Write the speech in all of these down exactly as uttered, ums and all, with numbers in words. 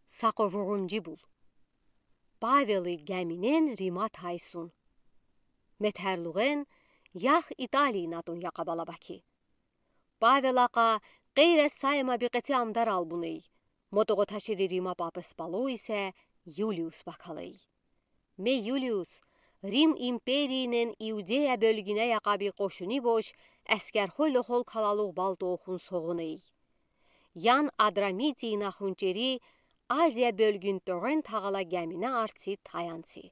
Саковурунджи бул. Павелы геминен Рима тайсун. Метерлугъен яхь Италиин атун якъа балабаки. Павел акъа къейре Саема бикъеци амдар албуней. Мотогъо ташири Рима папес палу исе Юлиус бакалей. Ме Юлиус, Рим империинен Иудея бёлгине якъа би къошуни бош, эскерхой лохол калалугъ балтохун соғуней. Ян Адрамитиин ахун чери Азия бёлгин тёгъен тагъала гемине арци таянци.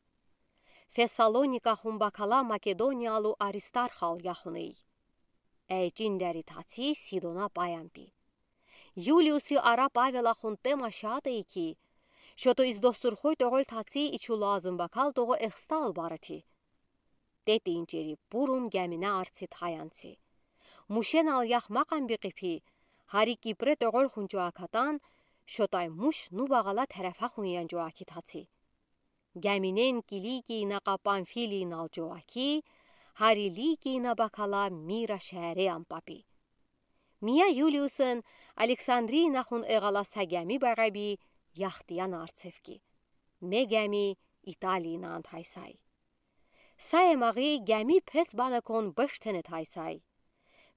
Фессалоник ахун бакала Македониялу Аристарх ал яхуней. Эйчин дери таци Сидона паян пи. Юлиуси ара Павел ахун тема шатей ки, шото из достурхой тёгъел таци ичу лазым бакал тогъо эхста ал барыти. Тетин чери пурун гемине арци таянци. Мушен ал яхмакъан бикъипи, гьари Кипре тёгъел хунчу акатан, шотай муш ну багъала терефа хунянчу аки таци. Геминен Киликиин акъа Памфилиин ал чу аки, гьари Ликиин а бакала Мира шеере ям папи. Мия Юлиусен Александриин ахун эгъала са геми багъаби яхдиян арцеф ки. Ме геми Италиин ан тайсай. Саемагъи геми пес банекон беш тене тайсай.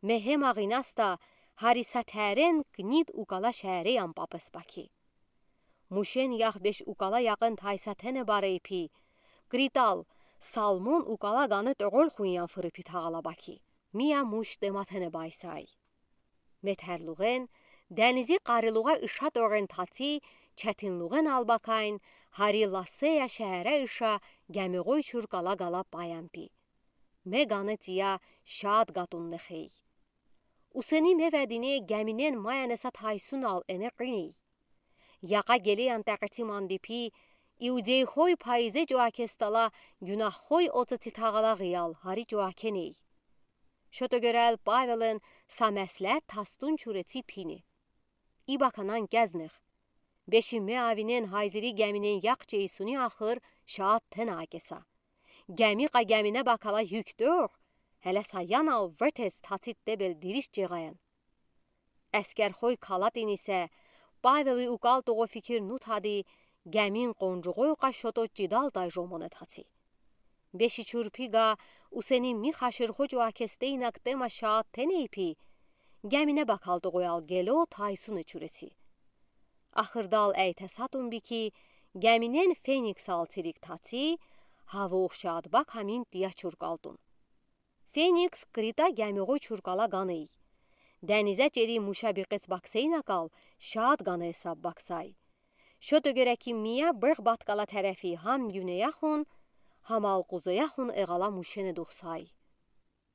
Ме гемагъинас да гьари са терен Книд укала шеере ям папес баки. Мушен яхь беш укала якъын тайса тене барей пи, Критал, Салмон укала гана тёгъел хуньян фыры пи тагъала баки. Мия муш тема тене байсай. Метерлугъен, денизи къарилугъа иша тёгъен таци, четинлугъен ал бакайн, гьари Ласея шеере иша гемигъой чуркала гала паян пи. Ме гана тия шад гатун нехей. Усени ме ведине геминен маянеса тайсун ал эне къиней. Якъа гелеян текъеци манди пи, иудейхой пайизе чуакестала, гюнагьхой оцеци тагъала гъиял гьари чуакеней. Шото гёрел Павелен са меслет тастун чуреци пини. И баканан кезнех. Беши ме авинен гьайзири геминен яхчейсуни ахыр шад тена акеса. Геми къа гемине бакала юк тёгъ, гьеле са ян ал вертес таци тебел дириш чегъаян. Эскерхой калатин исе, Павелы укал тогъо фикир нутади, гемин къонжугъой къа шото чидалтай жомоне таци. Беши чурпи га, усени ми хаширхо чуакесте инак тема шад теней пи, гемине бакал тогъоял гело тайсуне чуреци. Ахырдал эйте сатун би ки, геминен Феникс ал цирик таци, гьавух шад бак амин тия чуркалтун. Феникс Крита гемигъой чуркала ганей. Денизе чери муша бикъес баксейна кал, шад гана эсаб баксай. Шото гёре ки мия быгъ баткала терефи гьам гюнеяхун, гьамал къузеяхун эгъала мушене духсай.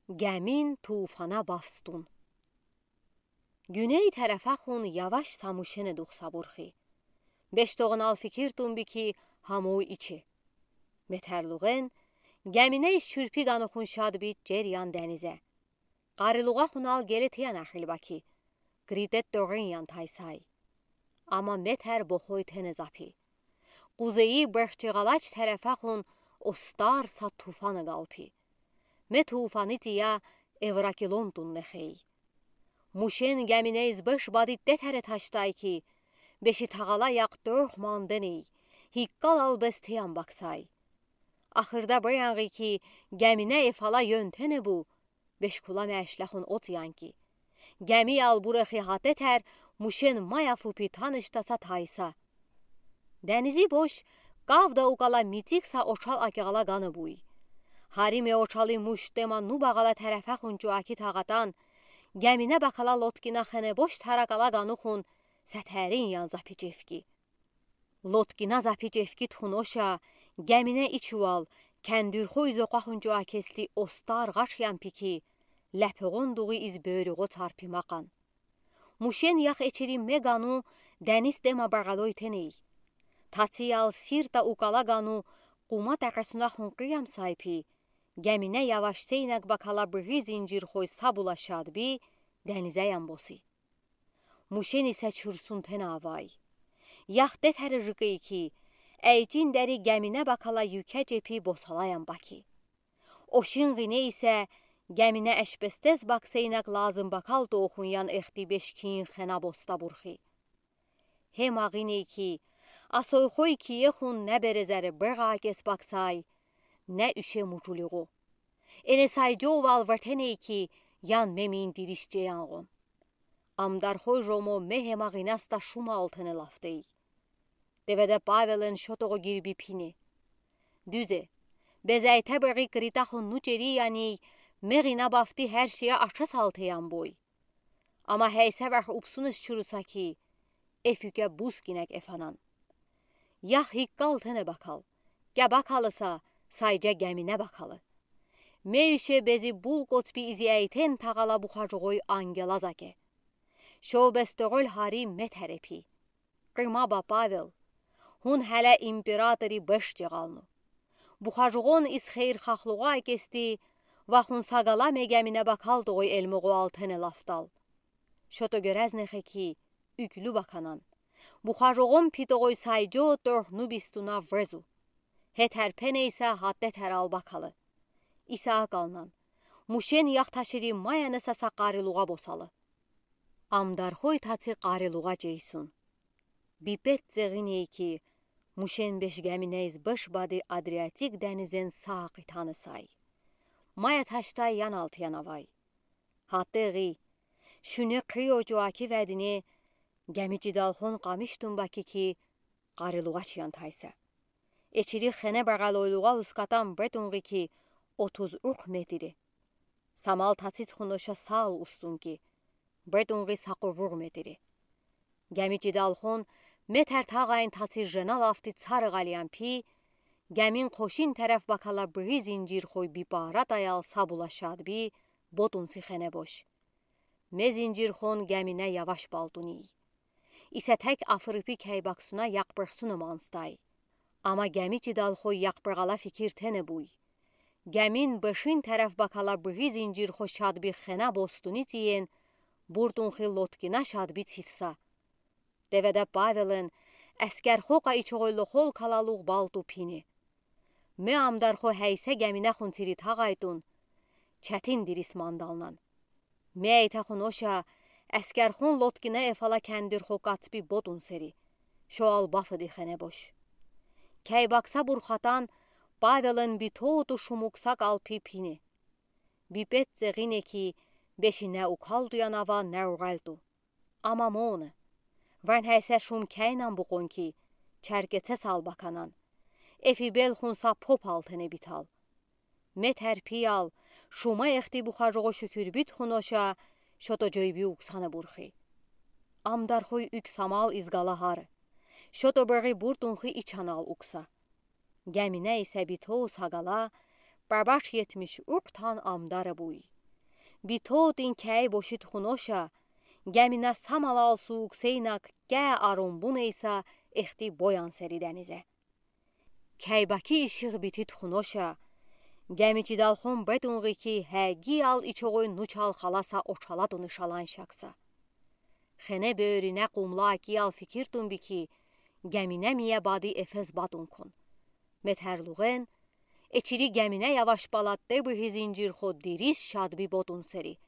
Гемин тууфана бафстун. Гюней терефахун яваш са мушене духса бурхи. Беш тогъунал фикир тун би ки гьамуй ичи. Метерлугъен, геминей шурпи ганухун шад би чер ян денизе. Къарилугъахунал геле тиян ахил баки. Критед тогъин ян тайсай. Ама метер бохой тене запи. Къузеи быгъ чегъалач терефахун остар са тууфана галпи. Ме тууфани тия Эвракилон тун нехей. Мушен геминейз быш бади тетере таштай ки, беши тагъала якъ тёх манденей, гьиккалал бес теян баксай. Ахырда баянгъи ки, гемине эфала ёнтене бу, беш кула мешлехун оцян ки. Гемиял бурехи гьа тетер, мушен мая фу пи таныштаса тайса. Денизи бош, кавда укала мицик са очал акегъала гана буй. Гьари ме очали муш тема ну багъала терефахун чуаки тагъатан, гемине бакала лодкина хене бош таракала ганухун, сетерин ян запи чевки. Лодкина запи чевки тухун оша, гемине ичувал, кендуьрхуй зокъахун чуакесли остар гъач ян пи ки, лепегъон дугъи из бёрюгъо царпи макъан. Мушен ях эчери ме гану, дениз тема багъалой теней. Тациял сирта укала гану, къума текъесунахун къиям сай пи, гемине яваш сейнек бакала быгъи зинжирхой сабула шад би, денизе ян боси. Мушени се чурсун тена авай. Ях тетере жикей ки, эйчин дери гемине бакала юке чепи босала ян баки. Ошин гъине исе, гемине эшпестез баксейнек лазым бакал тохун ян эхти бешкин хена боста бурхи. Гьема гъиней ки, Асойхой кие хун не березере быгакес баксай, не уьше муджулиғу. Эне сайджы овал выртеней ки, ян мемин дирисчеян ғон. Амдархой жомо мехе магинас та шумал тыне лафтей. Деведе Павелен шотоғо гирби пине. Дуьзе, безайтебеги Крита хун нуч ери яни, мегина бафти хер шея аша салтеян бой. Ама хейсевех упсуныс чуруса ки, эфюке бус гинек эфанан. Ях иккал тыне бакал, ке бакалыса, сайджа гемине бакалы. Меюше бези бул коцпи изиайтен тағала бухажуғой ангела заке. Шо бес тоғол хари метерепи. Қыма ба Павел, хун хеле императори беш джеғалну. Бухажуғон из хейр хахлуға кести, ва хун сағала ме гемине бакал тоғой элмоғо алтене лафтал. Шото герезне хеки, уьклю баканан. Бухажуғон питоғой сайджо торхну бистуна врезу. Хетер пенейса хатте терал бакалы. Иса акалнан. Мушен яхташири маяны саса қарилуға босалы. Амдархой таци қарилуға джейсун. Бипет зеғиней ки, мушен беш геминейз беш бади Адриатик денизен сағ итаны сай. Мая таштай ян алтыян авай. Хатте ғи, шуьне қыйо джуаки ведине, геми чидалхон қамиштун баки ки, қарилуға чиян тайса. Эчири хене беғалойлуға ускатан бетунғи ки, отуз ух метри. Самал тацит хуноша сал устун ки, бетунғи сақовуғ метри. Геми чидалхон метер тағайн таци жена лафти царығалиян пи, гемин қошин тереф бакала быри зинджирхой бипара таял сабула шадби, ботунси хене бош. Ме зинджирхон гемине яваш балтуний. Исе тек афырпи кей баксуна яқпырхсуна манстай. Ама геми чидалхой яқпырғала фикир тене буй. Гемин бешин тереф бакала быри зинджирхо шадби хена бостуни тиен, буртунхи лодкина шадби цифса. Деведе Павелен, эскерхо ка ичоғойло хол калалуғ балту пине. Ме амдархо хейсе гемине хун тири тағайтун, четин дирис мандалнан. Ме эйте хуноша, эскерхон лодкина эфала кендирхо кацпи ботун сери. Шоал бафыди хене бош. Кей бакса бурхатан, Павелен битоту шумукса калпи пине. Бипет зеғине ки, бешине укалтуян ава не уғалту. Ама моны. Ван хейсе шум кейнан букъон ки, черкеце сал баканан. Эфи бел хунса попал тене битал. Метер пиял, шума эхти бухажуғо шукюр бит хуноша, шото джойби уксана бурхи. Амдархой уьк самал изгала хар. Шото бери буртунхи ичанал укса. Гемине исе битоу сағала, бабаш етмиш ух тан амдара буй. Битоу тин кей бошит хуноша, гемине самалал суук сейнак ке арумбун эйса эхти боян сери денизе. Кей баки ишиғ битит хуноша, геми чидалхон бетунғи ки хегиял ичоғой нучал халаса очалатуны шалан шакса. Хене бёрине къумла акиял фикиртун би ки, гемине мия бади эфес батун кун. Метерлуғен, эчири гемине яваш балатте быри зинджирхо дирис шадби ботун сери.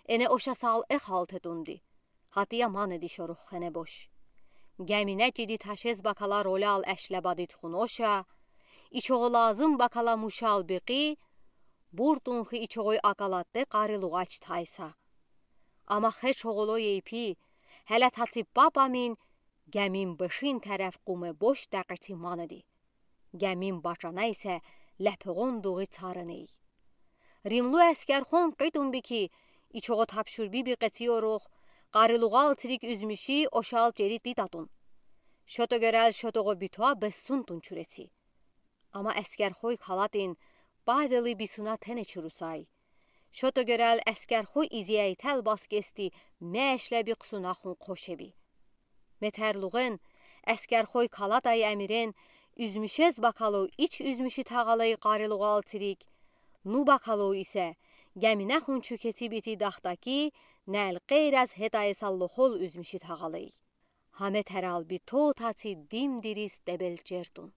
Эне оша сал эхалтетунди. Хатия манеди шорух хене бош. Гемине чиди ташез бакала ролял эшле бадит хуноша, ичоғо лазым бакала мушал биқи, буртунхи ичоғой акалатте қарилуғач тайса. Ама хе чоғоло ейпи, хеле таци папамин, гемин бешин тереф къуме бош дақити манеди. Гемин бачана исе лепоғон дуғи царыней. Римлу эскерхон къитун би ки, ичоғо тапшур би би къеци орух, қарилуғал цирик уьзмиши ошал чери титатун. Шото герел шотоғо битоа бессунтун чуреци. Ама эскерхой калатин Павели бисуна тене чурусай. Шото герел эскерхой изиайтел баскести мешле би къусуна хун қошеби. Метерлуғен, эскерхой калатай амирен, уьзмишез бакало ич уьзмиши тағалай қарилуғал цирик, ну бакало исе, гемине хун чукеци бити дахтаки, нел қейраз хетайса лохол уьзмиши тағалай. Хаме терал битоу таци дим дирис дебелчертун.